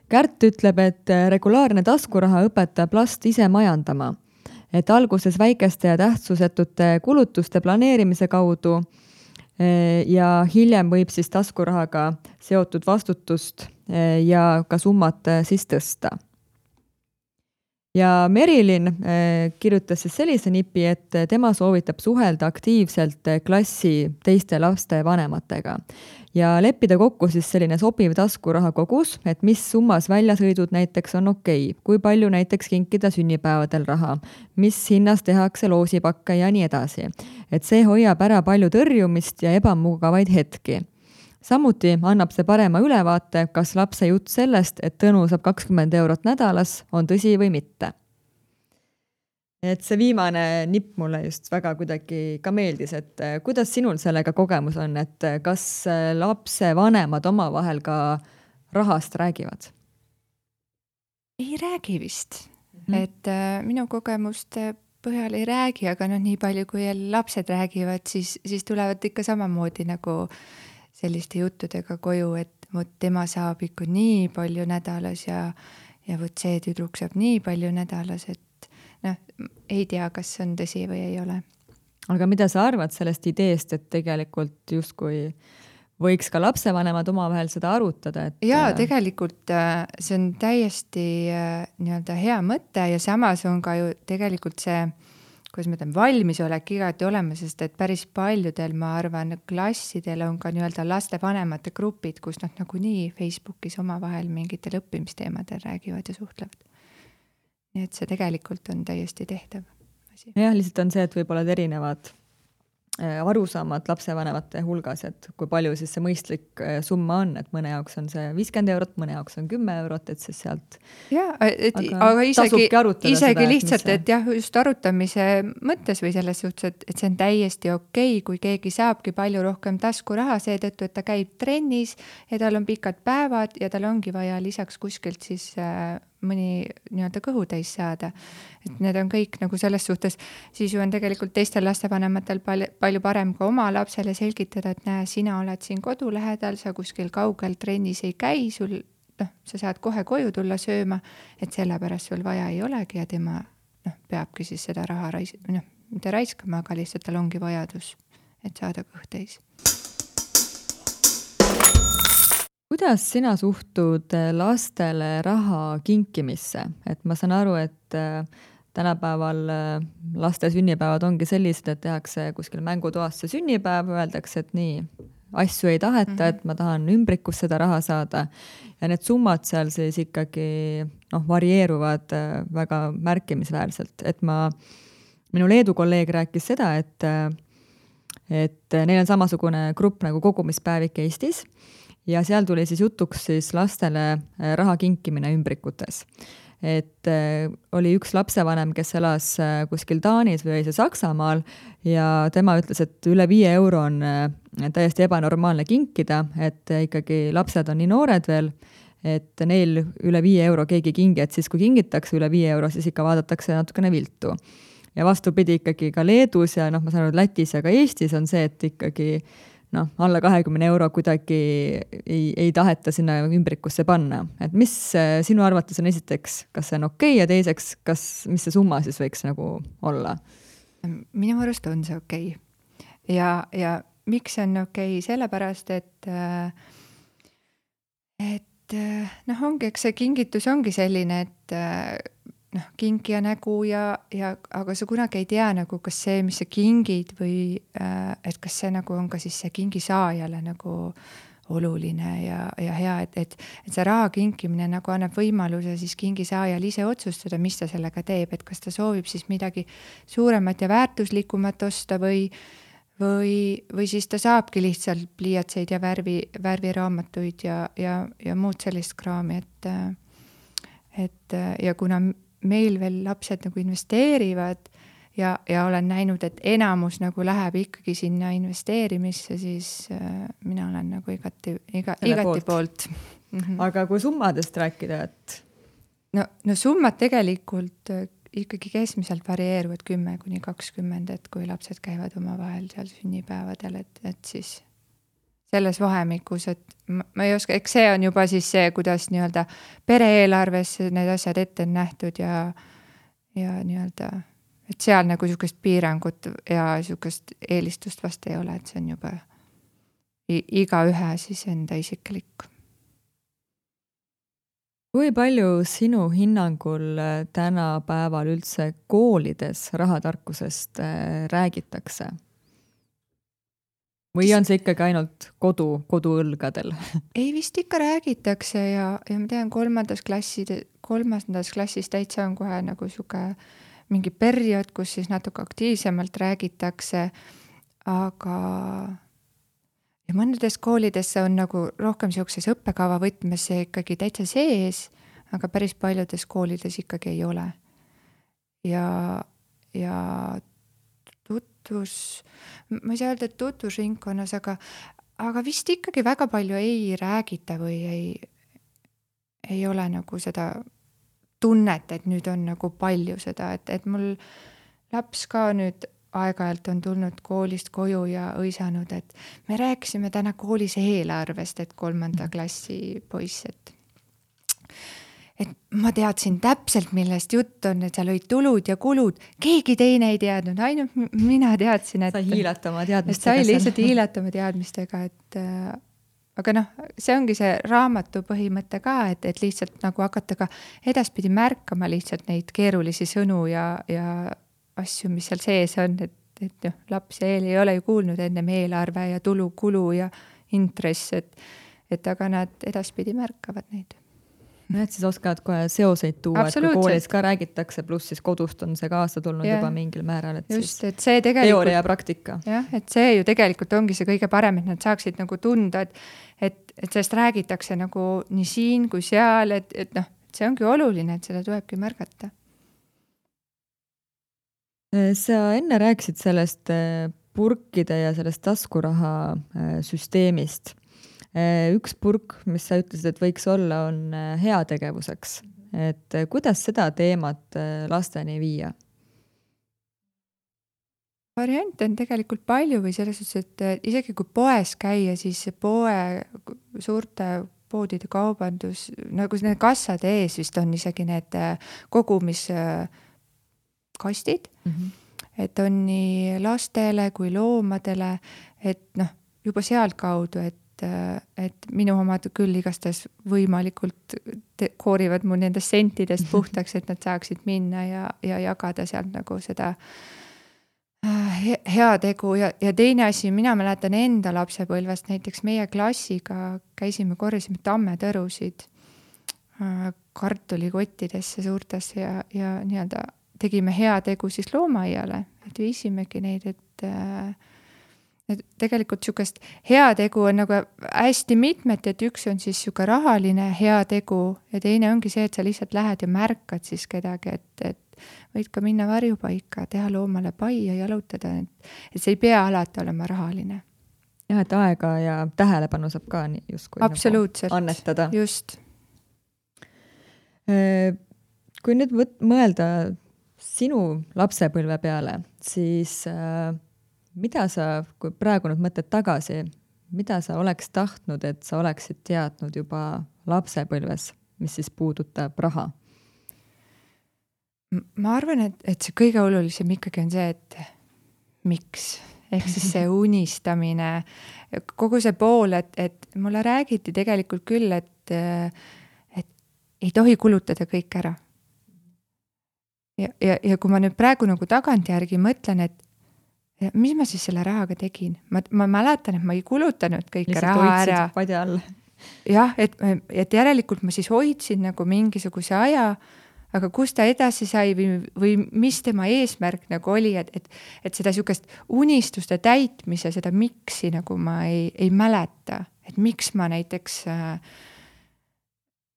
Kärt ütleb, et regulaarne taskuraha õpetab last ise majandama. Et alguses väikeste ja tähtsusetute kulutuste planeerimise kaudu ja hiljem võib siis taskurahaga seotud vastutust ja ka summat siis tõsta. Ja Merilin kirjutas siis sellise nipi, et tema soovitab suhelda aktiivselt klassi teiste laste vanematega ja leppida kokku siis selline sobiv taskuraha kogus, et mis summas väljasõidud näiteks on okei, kui palju näiteks kinkida sünnipäevadel raha, mis hinnas tehakse loosipakke ja nii edasi. Et see hoiab ära palju tõrjumist ja ebamugavaid hetki. Samuti annab see parema ülevaate, kas lapse jutt sellest, et Tõnu saab 20 eurot nädalas, on tõsi või mitte. Et see viimane nipp mulle just väga kuidagi ka meeldis, et kuidas sinul sellega kogemus on, et kas lapse vanemad omavahel ka rahast räägivad? Ei räägi vist. Et minu kogemuste põhjal ei räägi, aga nii palju kui lapsed räägivad, siis tulevad ikka samamoodi nagu selliste juttudega koju, et võt tema saab ikka nii palju nädalas ja võt see tüdruk saab nii palju nädalas, et ei tea, kas see on tõsi või ei ole. Aga mida sa arvad sellest ideest, et tegelikult justkui võiks ka lapsevanemad omavahel seda arutada? Jaa, tegelikult see on täiesti nii-öelda hea mõte ja samas on ka ju tegelikult see kuidas ma ütlen, valmisolek igati olemas, sest et päris paljudel, ma arvan, klassidel on ka nii-öelda lastevanemate grupid, kus nad nagunii Facebookis omavahel mingitel õppimisteemadel räägivad ja suhtlevad. Nii et see tegelikult on täiesti tehtav asi. Jah, lihtsalt on see, et võib-olla erinevad arusaamad lapsevanemate hulgas, et kui palju siis see mõistlik summa on, et mõne jaoks on see 50 eurot, mõne jaoks on 10 eurot, et siis sealt aga isegi lihtsalt, et jah, just arutamise mõttes või selles suhtes, et see on täiesti okei, kui keegi saabki palju rohkem taskuraha seetõttu, et ta käib trennis ja tal on pikad päevad ja tal ongi vaja lisaks kuskilt siis mõni nii-öelda kõhutäis saada. Et need on kõik nagu selles suhtes, siis ju on tegelikult teistel lastevanematel palju parem ka oma lapsele selgitada, et näe, sina oled siin kodu lähedal, sa kuskil kaugel trennis ei käi, sul, sa saad kohe koju tulla sööma, et sellepärast sul vaja ei olegi ja tema peabki siis seda raha mitte raiskama, aga lihtsalt tal ongi vajadus, et saada kõhtäis. Kuidas sina suhtud lastele raha kinkimisse? Et ma saan aru, et tänapäeval laste sünnipäevad ongi sellised, et tehakse kuskil mängutoas see sünnipäev, öeldakse, et nii, asju ei taheta, et ma tahan ümbrikus seda raha saada. Ja need summad seal siis ikkagi varieeruvad väga märkimisväärselt. Et minu Leedu kolleeg rääkis seda, et neil on samasugune grupp nagu kogumispäevik Eestis, ja seal tuli siis jutuks siis lastele raha kinkimine ümbrikutes. Et oli üks lapsevanem, kes elas kuskil Taanis või see Saksamaal ja tema ütles, et üle 5 euro on täiesti ebanormaalne kinkida, et ikkagi lapsed on nii noored veel, et neil üle 5 euro keegi kingi, et siis kui kingitakse üle 5 euro, siis ikka vaadatakse natukene viltu. ja vastupidi ikkagi ka Leedus ja noh, ma saan aru, Lätis ja ka Eestis on see, et ikkagi noh, alla 20 euro kuidagi ei taheta sinna ümbrikusse panna. Et mis sinu arvates on esiteks, kas see on okei ja teiseks, mis see summa siis võiks nagu olla? Minu arust on see okei. Ja miks see on okei? Sellepärast, et noh, ongi, eks see kingitus ongi selline, et noh, kinkija nägu aga sa kunagi ei tea nagu, kas see, mis sa kingid või et kas see nagu on ka siis see kingisaajale nagu oluline ja hea, et see raha kinkimine nagu annab võimaluse siis kingisaajal ise otsustada, mis ta sellega teeb, et kas ta soovib siis midagi suuremat ja väärtuslikumat osta või siis ta saabki lihtsalt pliiatseid ja värviraamatuid ja muud sellist kraami, et ja kuna meil veel lapsed nagu investeerivad ja olen näinud, et enamus nagu läheb ikkagi sinna investeerimisse, siis mina olen nagu igati poolt. Aga kui summadest rääkida, et? No summad tegelikult ikkagi keskmiselt varieeruvad 10–20, et kui lapsed käivad omavahel seal sünnipäevadel, et siis selles vahemikus, et ma ei oska, eks see on juba siis see, kuidas nii-öelda pereeelarves need asjad ette on nähtud ja nii-öelda, et seal nagu niisugust piirangut ja niisugust eelistust vast ei ole, et see on juba igaühe siis enda isiklik. Kui palju sinu hinnangul tänapäeval üldse koolides rahatarkusest räägitakse? Või on see ikkagi ainult koduõlgadel? Ei, vist ikka räägitakse ja ma tean, kolmandas klassis täitsa on kohe nagu siuke mingi periood, kus siis natuke aktiivsemalt räägitakse, aga ja mõnedes koolides on nagu rohkem siukses õppekava võtmes see ikkagi täitsa sees, aga päris paljudes koolides ikkagi ei ole. Ja ma ei saa öelda, et tutvusringkonnas, aga vist ikkagi väga palju ei räägita või ei ole nagu seda tunnet, et nüüd on nagu palju seda, et mul laps ka nüüd aeg-ajalt on tulnud koolist koju ja õisanud, et me rääkisime täna koolis eelarvest, et 3. klassi poiss, et ma teadsin täpselt, millest jutt on, et seal olid tulud ja kulud. Keegi teine ei teadnud, ainult mina teadsin, et sai hiilata oma teadmistega. Sai lihtsalt hiilata oma teadmistega, aga noh, see ongi see raamatu põhimõte ka, et lihtsalt nagu hakata ka edaspidi märkama lihtsalt neid keerulisi sõnu ja asju, mis seal sees on, et noh, laps ja eel ei ole ju kuulnud ennem eelarve ja tulu, kulu ja intress, et aga nad edaspidi märkavad neid. Et siis oskavad kohe seoseid tuua, et kui koolis ka räägitakse, pluss siis kodust on see kaasa tulnud juba mingil määral, et just, siis et see tegelikult, teooria ja praktika. Jah, et see ju tegelikult ongi see kõige parem, et nad saaksid nagu tunda, et sellest räägitakse nagu nii siin kui seal, et noh, see ongi oluline, et seda tulebki märgata. Sa enne rääkisid sellest purkide ja sellest taskuraha süsteemist. Üks purk, mis sa ütlesid, et võiks olla, on heategevuseks. Et kuidas seda teemat lasteni viia? Variante on tegelikult palju või selles suhtes, et isegi kui poes käia, siis suurte poodide kaubandus, nagu need kassade ees vist on isegi need kogumiskastid, et on nii lastele kui loomadele, et noh, juba sealt kaudu, et minu omad küll igastahes võimalikult koorivad mu nendest sentidest puhtaks, et nad saaksid minna ja jagada sealt nagu seda heategu ja teine asi, mina mäletan enda lapsepõlvest, näiteks meie klassiga käisime, korjasime tammetõrusid kartulikottidesse suurtesse ja nii-öelda tegime heategu siis loomaaiale, et viisimegi neid, et tegelikult niisugust heategu on nagu hästi mitmed, et üks on siis niisugune rahaline heategu ja teine ongi see, et sa lihtsalt lähed ja märkad siis kedagi, et võid ka minna varjupaika, teha loomale pai ja jalutada, et see ei pea alati olema rahaline. Jah, et aega ja tähelepanu saab ka justkui absoluutselt, nagu annetada. Just. Kui nüüd mõelda sinu lapsepõlve peale, siis mida sa, kui praegu nüüd mõtled tagasi, mida sa oleks tahtnud, et sa oleksid teadnud juba lapsepõlves, mis siis puudutab raha? Ma arvan, et see kõige olulisem ikkagi on see, et miks, ehk siis see unistamine, kogu see pool, et mulle räägiti tegelikult küll, et ei tohi kulutada kõik ära. Ja kui ma nüüd praegu nagu tagantjärgi mõtlen, et mis ma siis selle rahaga tegin? Ma mäletan, et ma ei kulutanud kõike raha ära. Padja all. Jah, et järelikult ma siis hoidsin nagu mingisuguse aja, aga kus ta edasi sai või mis tema eesmärk nagu oli, et seda sukest unistuste täitmise, seda miksi nagu ma ei mäleta, et miks ma näiteks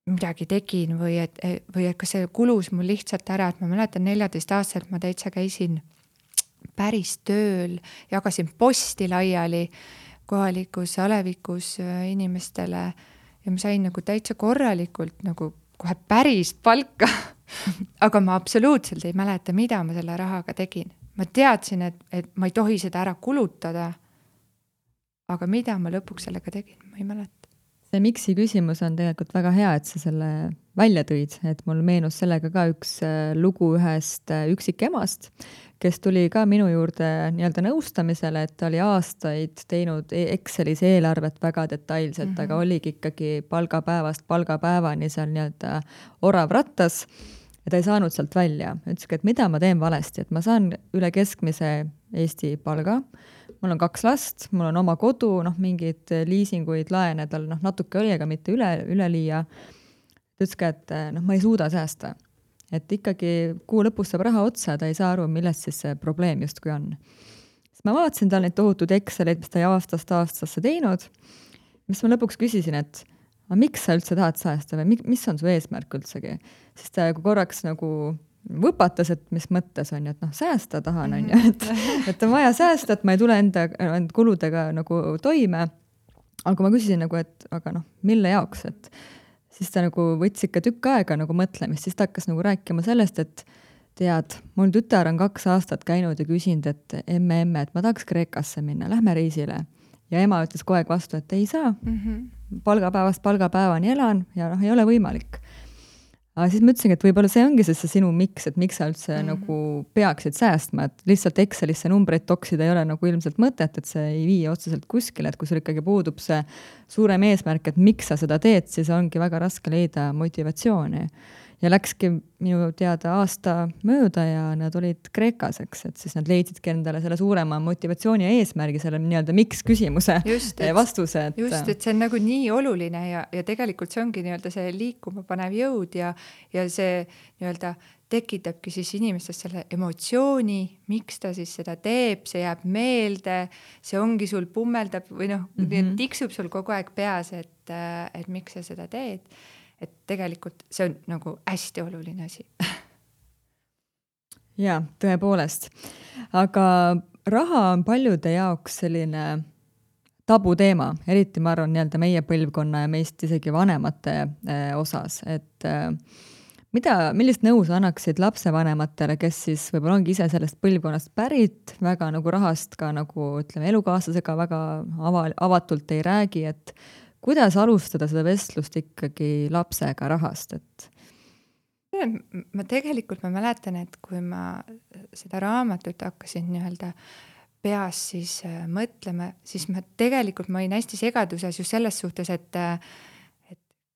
midagi tegin või et kas see kulus mul lihtsalt ära, et ma mäletan 14-aastaselt ma täitsa käisin päris tööl, jagasin posti laiali kohalikus alevikus inimestele ja ma sain nagu täitsa korralikult nagu kohe päris palka, aga ma absoluutselt ei mäleta, mida ma selle rahaga tegin. Ma teadsin, et ma ei tohi seda ära kulutada, aga mida ma lõpuks sellega tegin, ma ei mäleta. See miksi küsimus on tegelikult väga hea, et sa selle välja tõid, et mul meenus sellega ka üks lugu ühest üksikemast, kes tuli ka minu juurde nii-öelda nõustamisele, et ta oli aastaid teinud Excelis eelarvet väga detailselt, aga oligi ikkagi palgapäevast palgapäevani seal nii-öelda orav rattas ja ta ei saanud sealt välja. Ütleski, et mida ma teen valesti, et ma saan üle keskmise Eesti palga, mul on 2 last, mul on oma kodu, mingid liisinguid, laene tal natuke oli, aga mitte üleliia. Ta ütleski, et ma ei suuda säästa. Et ikkagi kuu lõpus saab raha otsa, ta ei saa aru, millest siis see probleem justkui on. Siis ma vaatasin tal neid tohutud Excelid, mis ta ei aastast aastasse teinud, mis ma lõpuks küsisin, et miks sa üldse tahad säästa või mis on su eesmärk üldsegi? Siis ta korraks nagu võpatas, et mis mõttes on, et säästa tahan, on ju, et on vaja säästa, et ma ei tule enda kuludega nagu toime. Aga ma küsisin nagu, et aga mille jaoks, et siis ta nagu võttis ikka tükk aega nagu mõtlemist, siis ta hakkas nagu rääkima sellest, et tead, mul tütar on 2 aastat käinud ja küsinud, et emme, et ma tahaks Kreekasse minna, lähme reisile. Ja ema ütles kogu aeg vastu, et ei saa, palgapäevast palgapäevani elan ja ei ole võimalik. Aga siis ma ütlesin, et võib-olla see ongi see sinu miks, et miks sa üldse nagu peaksid säästma, et lihtsalt Excelisse numbreid toksida ei ole nagu ilmselt mõtet, et see ei vii otseselt kuskile, et kui sul ikkagi puudub see suurem eesmärk, et miks sa seda teed, siis ongi väga raske leida motivatsiooni. Ja läkski minu teada aasta mööda ja nad olid Kreekas, eks, et siis nad leidsidki endale selle suurema motivatsiooni ja eesmärgi, selle nii-öelda miks küsimuse vastuse. Just, et see on nagu nii oluline ja tegelikult see ongi nii-öelda see liikuma panev jõud ja see nii-öelda tekitabki siis inimestest selle emotsiooni, miks ta siis seda teeb, see jääb meelde, see ongi sul pummeldab või tiksub sul kogu aeg peas, et miks sa seda teed. Et tegelikult see on nagu hästi oluline asi. Jaa, tõepoolest. Aga raha on paljude jaoks selline tabuteema, eriti ma arvan nii-öelda meie põlvkonna ja meist isegi vanemate osas. Et millist nõu sa annaksid lapsevanematele, kes siis võib-olla ongi ise sellest põlvkonnast pärit, väga nagu rahast ka nagu ütleme elukaaslasega väga avatult ei räägi, et kuidas alustada seda vestlust ikkagi lapsega rahast, et? Ma mäletan, et kui ma seda raamatut hakkasin nii-öelda peas siis mõtlema, siis ma olin hästi segaduses just selles suhtes, et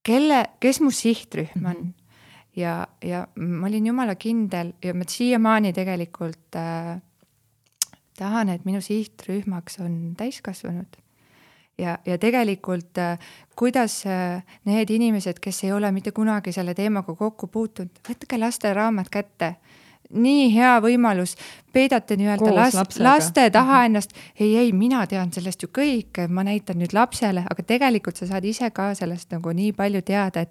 kes mu sihtrühm on. Ja ma olin jumala kindel ja ma siiamaani tegelikult tahan, et minu sihtrühmaks on täiskasvanud. Ja tegelikult, kuidas need inimesed, kes ei ole mitte kunagi selle teemaga kokku puutunud, võtke laste raamat kätte. Nii hea võimalus, peidate nii-öelda laste taha ennast. Ei, mina tean sellest ju kõik, ma näitan nüüd lapsele, aga tegelikult sa saad ise ka sellest nagu nii palju teada,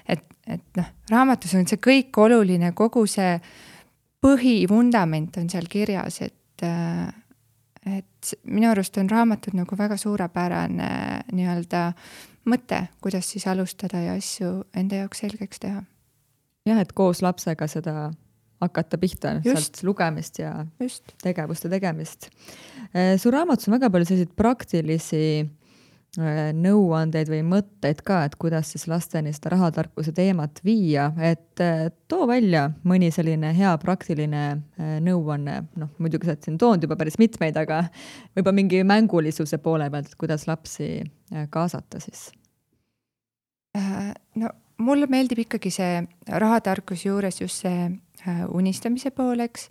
et raamatus on see kõik oluline, kogu see põhivundament on seal kirjas, et minu arust on raamatud nagu väga suurepärane nii-öelda mõte, kuidas siis alustada ja asju enda jaoks selgeks teha. Jah, et koos lapsega seda hakata pihta sealt lugemist ja tegevuste tegemist. Su raamatus on väga palju selliseid praktilisi nõuandeid või mõtteid ka, et kuidas siis lasteni seda rahatarkuse teemat viia, et too välja mõni selline hea praktiline nõuanne, noh muidugi sa oled siin toonud juba päris mitmeid, aga võib-olla mingi mängulisuse poole pealt, et kuidas lapsi kaasata siis? No mulle meeldib ikkagi see rahatarkus juures just see unistamise pooleks,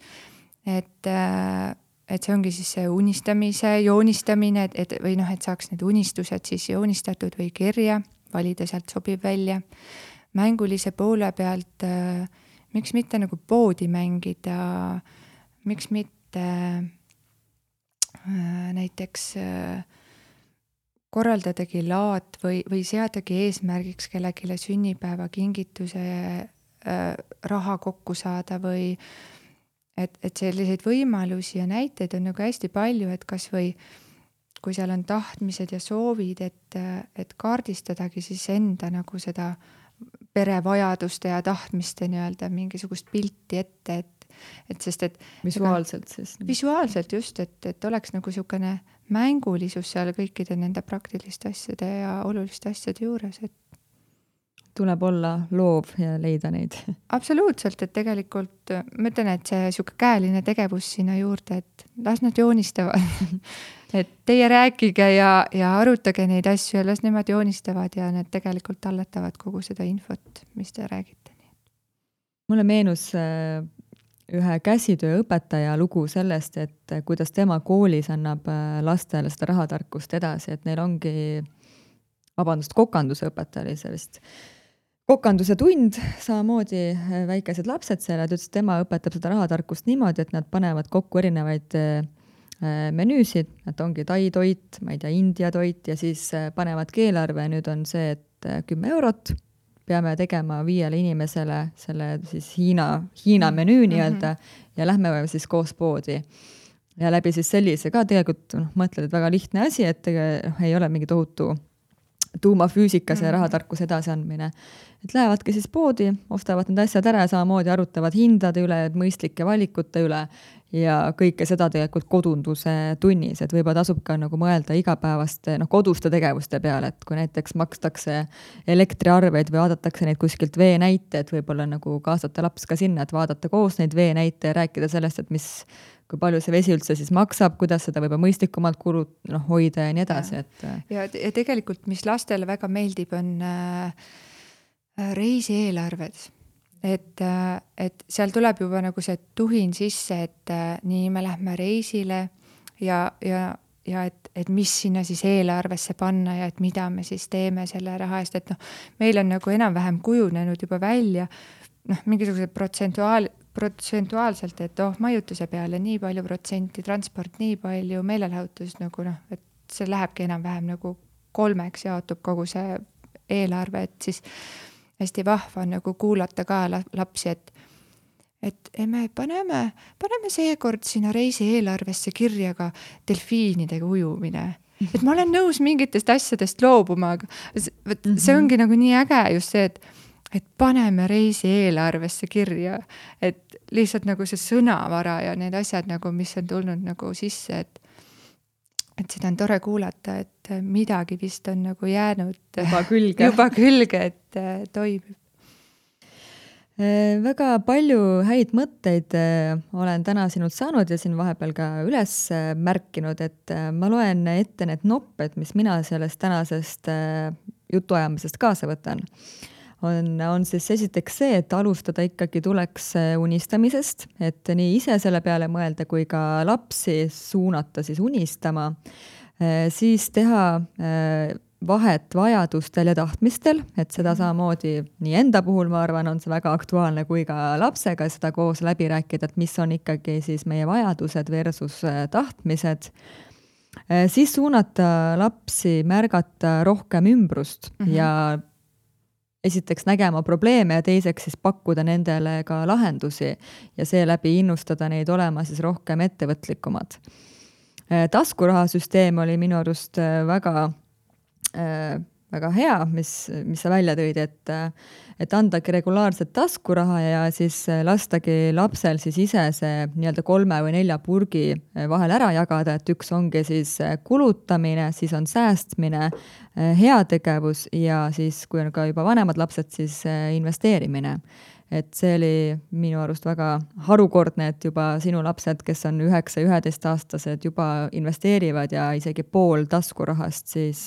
et see ongi siis see unistamise joonistamine, et või noh, et saaks need unistused siis joonistatud või kirja, valida sealt sobib välja. Mängulise poole pealt, miks mitte nagu poodi mängida, miks mitte näiteks korraldadagi laat või seadagi eesmärgiks kellegile sünnipäeva kingituse raha kokku saada või et selliseid võimalusi ja näiteid on nagu hästi palju, et kas või kui seal on tahtmised ja soovid, et kaardistadagi siis enda nagu seda perevajaduste ja tahtmiste nii-öelda mingisugust pilti ette, et sest et visuaalselt siis. Visuaalselt just, et oleks nagu niisugune mängulisus seal kõikide nende praktiliste asjade ja oluliste asjade juures, et tuleb olla loov ja leida neid. Absoluutselt, et tegelikult ma ütlen, et see niisugune käeline tegevus sinna juurde, et las nad joonistavad. Et teie rääkige ja arutage neid asju ja las nemad joonistavad ja need tegelikult talletavad kogu seda infot, mis te räägite. Mulle meenus ühe käsitööõpetaja lugu sellest, et kuidas tema koolis annab lastele seda rahatarkust edasi, et neil ongi, kokanduse õpetaja oli see vist, kokanduse tund, samamoodi väikesed lapsed seal, et ütles, tema õpetab seda rahatarkust niimoodi, et nad panevad kokku erinevaid menüüsid, et ongi tai toit, ma ei tea, India toit ja siis panevad keelarve ja nüüd on see, et 10 eurot peame tegema 5 inimesele selle siis Hiina menüü nii-öelda ja lähme siis koos poodi. Ja läbi siis sellise ka tegelikult mõtled, et väga lihtne asi, et ei ole mingi tohutu tuumafüüsika see rahatarkus edasiandmine. Et lähevadki siis poodi, ostavad need asjad ära ja samamoodi arutavad hindade üle, mõistlike valikute üle ja kõike seda tegelikult kodunduse tunnis, et võib-olla tasub ka nagu mõelda igapäevaste koduste tegevuste peale, et kui näiteks makstakse elektriarveid või vaadatakse neid kuskilt veenäite, et võib-olla nagu kaasata laps ka sinna, et vaadata koos neid veenäite ja rääkida sellest, et kui palju see vesi üldse siis maksab, kuidas seda võib mõistlikumalt hoida ja nii edasi. Ja tegelikult, mis lastele väga meeldib, on reisieelarved. Et seal tuleb juba nagu see tuhin sisse, et nii me lähme reisile ja et mis sinna siis eelarvesse panna ja et mida me siis teeme selle raha eest, et meil on nagu enam-vähem kujunenud juba välja mingisugused protsentuaalselt, et majutuse peale nii palju protsenti, transport nii palju, meelelahutus nagu et see lähebki enam-vähem nagu 3 jaotub kogu see eelarve, et siis hästi vahva on nagu kuulata ka lapsi, et me paneme seekord sinna reisi eelarvesse kirja ka delfiinidega ujumine. Et ma olen nõus mingitest asjadest loobuma, aga see ongi nagu nii äge just see, et paneme reisi eelarvesse kirja, et lihtsalt nagu see sõnavara ja need asjad nagu, mis on tulnud nagu sisse, et seda on tore kuulata, et midagi vist on nagu jäänud juba külge, et toimib. Väga palju häid mõtteid olen täna sinult saanud ja siin vahepeal ka üles märkinud, et ma loen ette need nopped, mis mina sellest tänasest jutuajamisest kaasa võtan. On siis esiteks see, et alustada ikkagi tuleks unistamisest, et nii ise selle peale mõelda kui ka lapsi suunata siis unistama, siis teha vahet vajadustel ja tahtmistel, et seda samamoodi nii enda puhul, ma arvan, on see väga aktuaalne kui ka lapsega seda koos läbi rääkida, et mis on ikkagi siis meie vajadused versus tahtmised. Siis suunata lapsi märgata rohkem ümbrust ja esiteks nägema probleeme ja teiseks siis pakkuda nendele ka lahendusi ja seeläbi innustada neid olema siis rohkem ettevõtlikumad. Taskurahasüsteem oli minu arust väga väga hea, mis sa välja tõid, et andagi regulaarset taskuraha ja siis lastagi lapsel siis ise see nii-öelda 3 või 4 purgi vahel ära jagada, et üks ongi siis kulutamine, siis on säästmine, heategevus ja siis, kui on ka juba vanemad lapsed, siis investeerimine. Et see oli minu arust väga harukordne, et juba sinu lapsed, kes on 9-11-aastased, juba investeerivad ja isegi pool taskurahast siis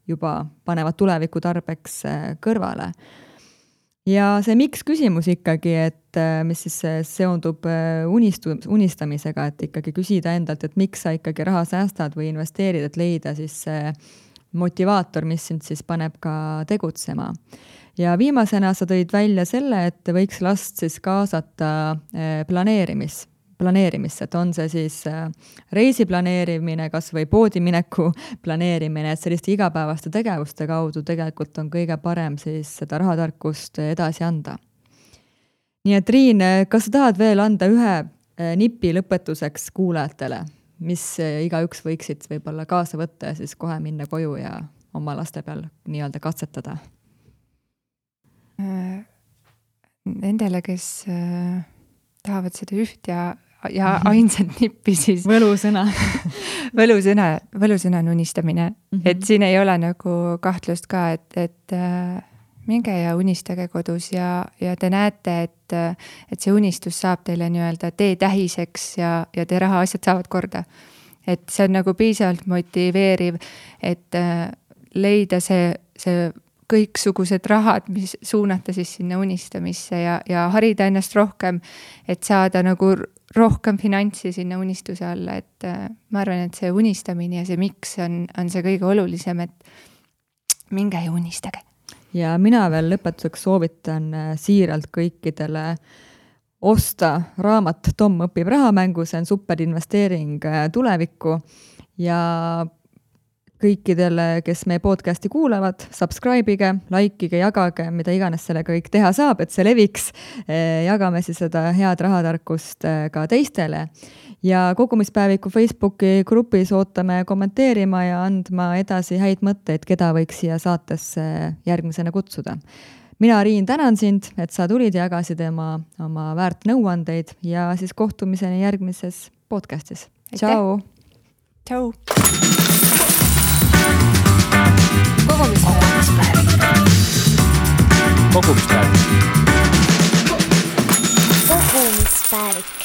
juba panevad tuleviku tarbeks kõrvale. Ja see miks küsimus ikkagi, et mis siis seondub unistamisega, et ikkagi küsida endalt, et miks sa ikkagi raha säästad või investeerid, et leida siis see motivaator, mis sind siis paneb ka tegutsema. Ja viimasena sa tõid välja selle, et võiks last siis kaasata planeerimisse, et on see siis reisi planeerimine, kas või poodimineku planeerimine, et selliste igapäevaste tegevuste kaudu tegelikult on kõige parem siis seda rahatarkust edasi anda. Nii et Riin, kas sa tahad veel anda ühe nipi lõpetuseks kuulajatele, mis igaüks võiksid võib-olla kaasa võtta ja siis kohe minna koju ja oma laste peal nii-öelda katsetada? Nendele, kes tahavad seda üht ja ainsat nippi, siis võlusõna on unistamine. Et siin ei ole nagu kahtlust ka, et minge ja unistage kodus ja te näete, et see unistus saab teile nii-öelda teetähiseks ja te rahaasjad saavad korda. Et see on nagu piisavalt motiveeriv, et leida see kõiksugused rahad, mis suunata siis sinna unistamisse ja harida ennast rohkem, et saada nagu rohkem finantsi sinna unistuse alla, et ma arvan, et see unistamine ja see miks on see kõige olulisem, et minge ja unistage. Ja mina veel lõpetuseks soovitan siiralt kõikidele osta raamat Tom õpib rahamängu, see on super investeering tulevikku ja kõikidele, kes meie podcasti kuulavad, subscribe'ige, likeige, jagage, mida iganes selle kõik teha saab, et see leviks. Jagame siis seda head rahatarkust ka teistele. Ja kogumispäeviku Facebooki grupis ootame kommenteerima ja andma edasi häid mõtteid, keda võiks siia saatesse järgmisena kutsuda. Mina, Riin, tänan sind, et sa tulid ja jagasid oma väärt nõuandeid ja siis kohtumiseni järgmises podcastis. Tšau! Tšau! Kogumispäevik.